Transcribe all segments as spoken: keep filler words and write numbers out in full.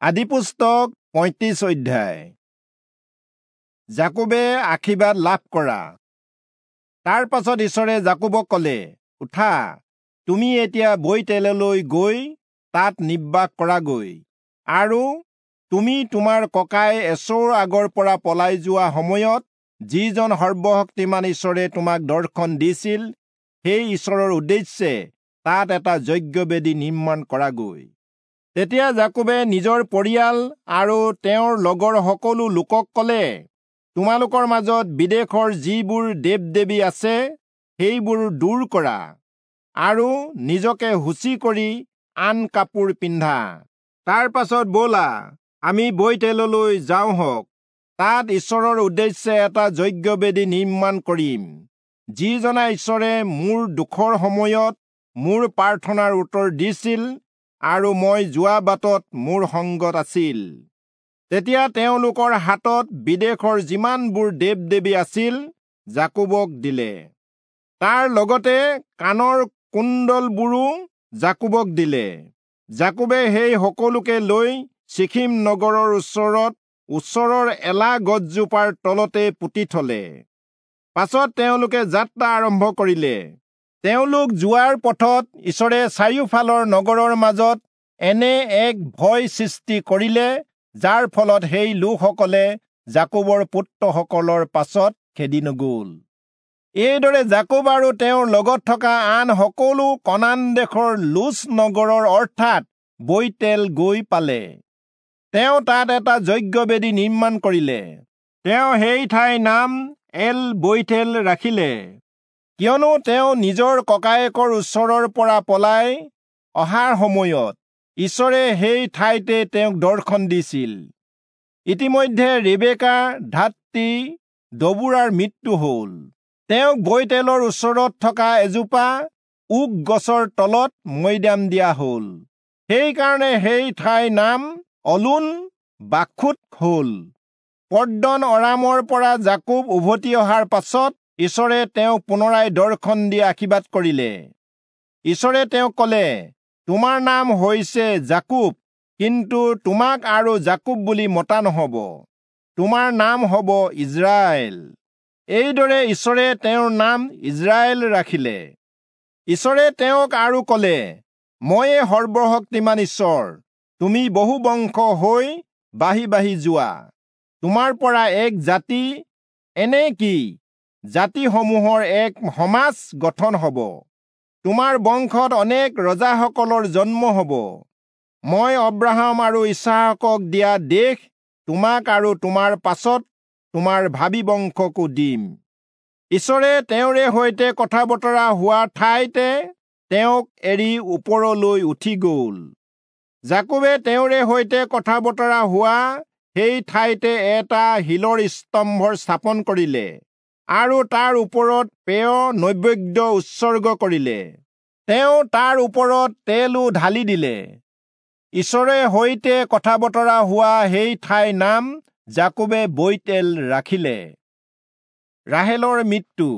আদিপুস্তক পঁয়ত্ৰিশ অধ্যায়। যাকোবে আশীৰ্বাদ লাভ কৰা। তাৰ পাছত ঈশ্বৰে যাকোবক কলে, উঠা, তুমি এতিয়া বৈতেললৈ গৈ তাত নিবাস কৰাগৈ, আৰু তুমি তোমাৰ ককাই এচৌৰ আগৰ পৰা পলাই যোৱা সময়ত যিজন সৰ্বশক্তিমান ঈশ্বৰে তোমাক দৰ্শন দিছিল, সেই ঈশ্বৰৰ উদ্দেশ্যে তাত এটা যজ্ঞবেদী নিৰ্মাণ কৰাগৈ। তেতিয়া যাকোবে নিজৰ পৰিয়াল আৰু তেওঁৰ লগৰ সকলো লোকক কলে, তোমালোকৰ মাজত বিদেশৰ যিবোৰ দেৱ দেৱী আছে সেইবোৰ দূৰ কৰা, আৰু নিজকে শুচি কৰি আন কাপোৰ পিন্ধা। তাৰ পাছত ব'লা, আমি বৈতেললৈ যাওঁ হওক, তাত ঈশ্বৰৰ উদ্দেশ্যে এটা যজ্ঞবেদী নিৰ্মাণ কৰিম, যিজনা ঈশ্বৰে মোৰ দুখৰ সময়ত মোৰ প্ৰাৰ্থনাৰ উত্তৰ দিছিল আৰু মই যোৱা বাটত মোৰ সংগত আছিল। তেতিয়া তেওঁলোকৰ হাতত বিদেশৰ যিমানবোৰ দেৱ দেৱী আছিল যাকোবক দিলে। তাৰ লগতে কাণৰ কুণ্ডলবোৰো যাকোবক দিলে। যাকোবে সেই সকলোকে লৈ চিখিম নগৰৰ ওচৰত ওচৰৰ এলা গছজোপাৰ তলতে পুতি থলে। পাছত তেওঁলোকে যাত্ৰা আৰম্ভ কৰিলে। তেওঁলোক যোৱাৰ পথত ঈশ্বৰে চাৰিওফালৰ নগৰৰ মাজত এনে এক ভয় সৃষ্টি কৰিলে, যাৰ ফলত সেই লোকসকলে যাকোবৰ পুত্ৰসকলৰ পাছত খেদি নগ'ল। এইদৰে যাকোব আৰু তেওঁৰ লগত থকা আন সকলো কনান দেশৰ লুজ নগৰৰ অৰ্থাৎ বৈতেল গৈ পালে। তেওঁ তাত এটা যজ্ঞবেদী নিৰ্মাণ কৰিলে। তেওঁ সেই ঠাইৰ নাম এল বৈতেল ৰাখিলে, কিয়নো তেওঁ নিজৰ ককায়েকৰ ওচৰৰ পৰা পলাই অহাৰ সময়ত ঈশ্বৰে সেই ঠাইতে তেওঁক দৰ্শন দিছিল। ইতিমধ্যে ৰেবেকাৰ ধাত্ৰী দবোৰাৰ মৃত্যু হ'ল। তেওঁক বৈতেলৰ ওচৰত থকা এজোপা ওক গছৰ তলত মৈদাম দিয়া হ'ল। সেইকাৰণে সেই ঠাইৰ নাম অলোন বাখুত হ'ল। পদ্দন অৰামৰ পৰা যাকোব উভতি অহাৰ পাছত ঈশ্বৰে তেওঁক পুনৰাই দৰ্শন দি আশীৰ্বাদ কৰিলে। ঈশ্বৰে তেওঁক কলে, তোমাৰ নাম হৈছে যাকোব, কিন্তু তোমাক আৰু যাকোব বুলি মতা নহব, তোমাৰ নাম হব ইজৰাইল। এইদৰে ঈশ্বৰে তেওঁৰ নাম ইজৰাইল ৰাখিলে। ঈশ্বৰে তেওঁক আৰু কলে, ময়ে সৰ্বশক্তিমান ঈশ্বৰ, তুমি বহু বংশ হৈ বাঢ়ি বাঢ়ি যোৱা। তোমাৰ পৰা এক জাতি, এনে কি জাতিসমূহৰ এক সমাজ গঠন হব। তোমাৰ বংশত অনেক ৰজাসকলৰ জন্ম হব। মই অব্ৰাহাম আৰু ইচহাকক দিয়া দেশ তোমাক আৰু তোমাৰ পাছত তোমাৰ ভাবী বংশকো দিম। ঈশ্বৰে তেওঁৰে সৈতে কথা বতৰা হোৱা ঠাইতে তেওঁক এৰি ওপৰলৈ উঠি গ'ল। যাকোবে তেওঁৰে সৈতে কথা বতৰা হোৱা সেই ঠাইতে এটা শিলৰ স্তম্ভৰ স্থাপন কৰিলে আৰু তাৰ ওপৰত পেয় নৈবেদ্য উৎসৰ্গ কৰিলে। তেওঁ তাৰ ওপৰত তেলো ঢালি দিলে। ঈশ্বৰে সৈতে কথা বতৰা হোৱা সেই ঠাইৰ নাম যাকোবে বৈতেল ৰাখিলে। ৰাহেলৰ মৃত্যু।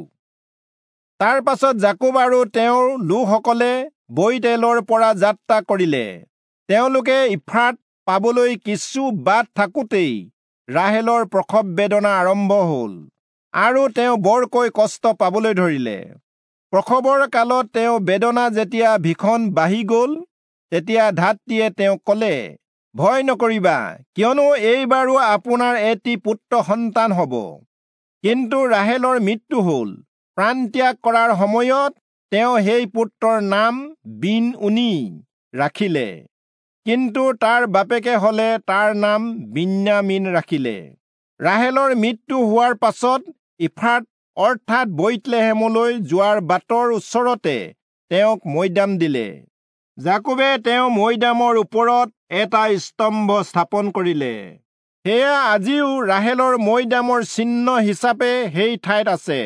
তাৰ পাছত যাকোব আৰু তেওঁৰ লোকসকলে বৈতেলৰ পৰা যাত্ৰা কৰিলে। তেওঁলোকে ইফ্ৰাত পাবলৈ কিছু বাট থাকোঁতেই ৰাহেলৰ প্ৰসৱ বেদনা আৰম্ভ হ'ল আৰু তেওঁ বৰকৈ কষ্ট পাবলৈ ধৰিলে। প্ৰসৱৰ কালত তেওঁ বেদনা যেতিয়া ভীষণ বাঢ়ি গ'ল, তেতিয়া ধাত্ৰীয়ে তেওঁক কলে, ভয় নকৰিবা, কিয়নো এইবাৰো আপোনাৰ এটি পুত্ৰ সন্তান হ'ব। কিন্তু ৰাহেলৰ মৃত্যু হ'ল। প্ৰাণত্যাগ কৰাৰ সময়ত তেওঁ সেই পুত্ৰৰ নাম বিন উনি ৰাখিলে, কিন্তু তাৰ বাপেকে হলে তাৰ নাম বিন্যামীন ৰাখিলে। ৰাহেলৰ মৃত্যু হোৱাৰ পাছত ইফ্ৰাত অৰ্থাৎ বৈৎলেহেমলৈ যোৱাৰ বাটৰ ওচৰতে তেওঁক মৈদাম দিলে। যাকোবে তেওঁ মৈদামৰ ওপৰত এটা স্তম্ভ স্থাপন কৰিলে। সেয়া আজিও ৰাহেলৰ মৈদামৰ চিহ্ন হিচাপে সেই ঠাইত আছে।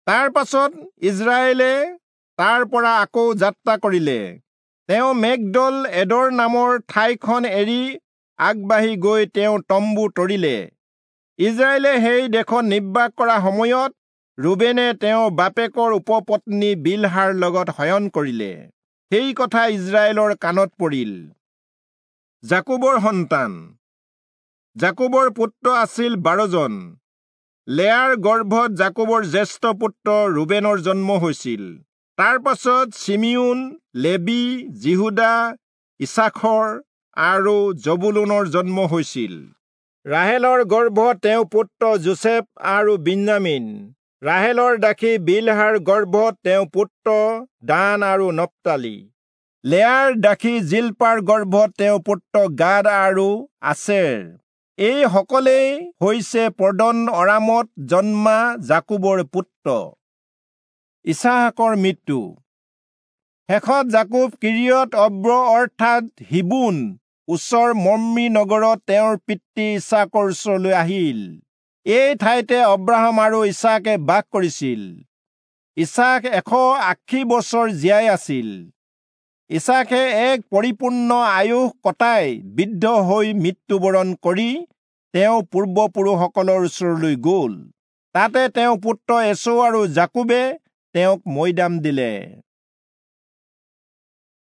তাৰ পাছত ইজৰাইলে তাৰ পৰা আকৌ যাত্ৰা কৰিলে। তেওঁ মেগদল এদৰ নামৰ ঠাইখন এৰি আগবাঢ়ি গৈ তেওঁ তম্বু তৰিলে। ইজৰাইলে সেই দেশত নিবাস কৰা সময়ত ৰুবেনে তেওঁৰ বাপেকৰ উপপত্নী বিলহাৰ লগত শয়ন কৰিলে। সেই কথা ইজৰাইলৰ কাণত পৰিল। যাকোবৰ সন্তান। যাকোবৰ পুত্ৰ আছিল বাৰজন। লেয়াৰ গৰ্ভত যাকোবৰ জ্যেষ্ঠ পুত্ৰ ৰুবেনৰ জন্ম হৈছিল। তাৰ পাছত চিমিয়োন, লেবী, যিহূদা, ইচাখৰ আৰু জবুলূনৰ জন্ম হৈছিল। ৰাহেলৰ গৰ্ভত তেওঁ পুত্ৰ যোচেফ আৰু বিন্যামীন। ৰাহেলৰ দাসী বিলহাৰ গৰ্ভত তেওঁ পুত্ৰ দান আৰু নপ্তালী। লেয়াৰ দাসী জিল্পাৰ গৰ্ভত তেওঁ পুত্ৰ গাদ আৰু আচেৰ। এই সকলেই হৈছে পদন অৰামত জন্মা যাকোবৰ পুত্ৰ। ইচহাকৰ মৃত্যু। শেষত যাকোব কিৰিয়ত অৰ্ব অৰ্থাৎ হিব্ৰোণ ওচৰ মম্ৰি নগৰত তেওঁৰ পিতৃ ইচহাকৰ ওচৰলৈ আহিল। এই ঠাইতে অব্ৰাহাম আৰু ইচহাকে বাস কৰিছিল। ইচহাক এশ আশী বছৰ জীয়াই আছিল। ইচহাকে এক পৰিপূৰ্ণ আয়ুস কটাই বৃদ্ধ হৈ মৃত্যুবৰণ কৰি তেওঁ পূৰ্বপুৰুষসকলৰ ওচৰলৈ গ'ল। তাতে তেওঁ পুত্ৰ এচৌ আৰু যাকোবে তেওঁক মৈদাম দিলে।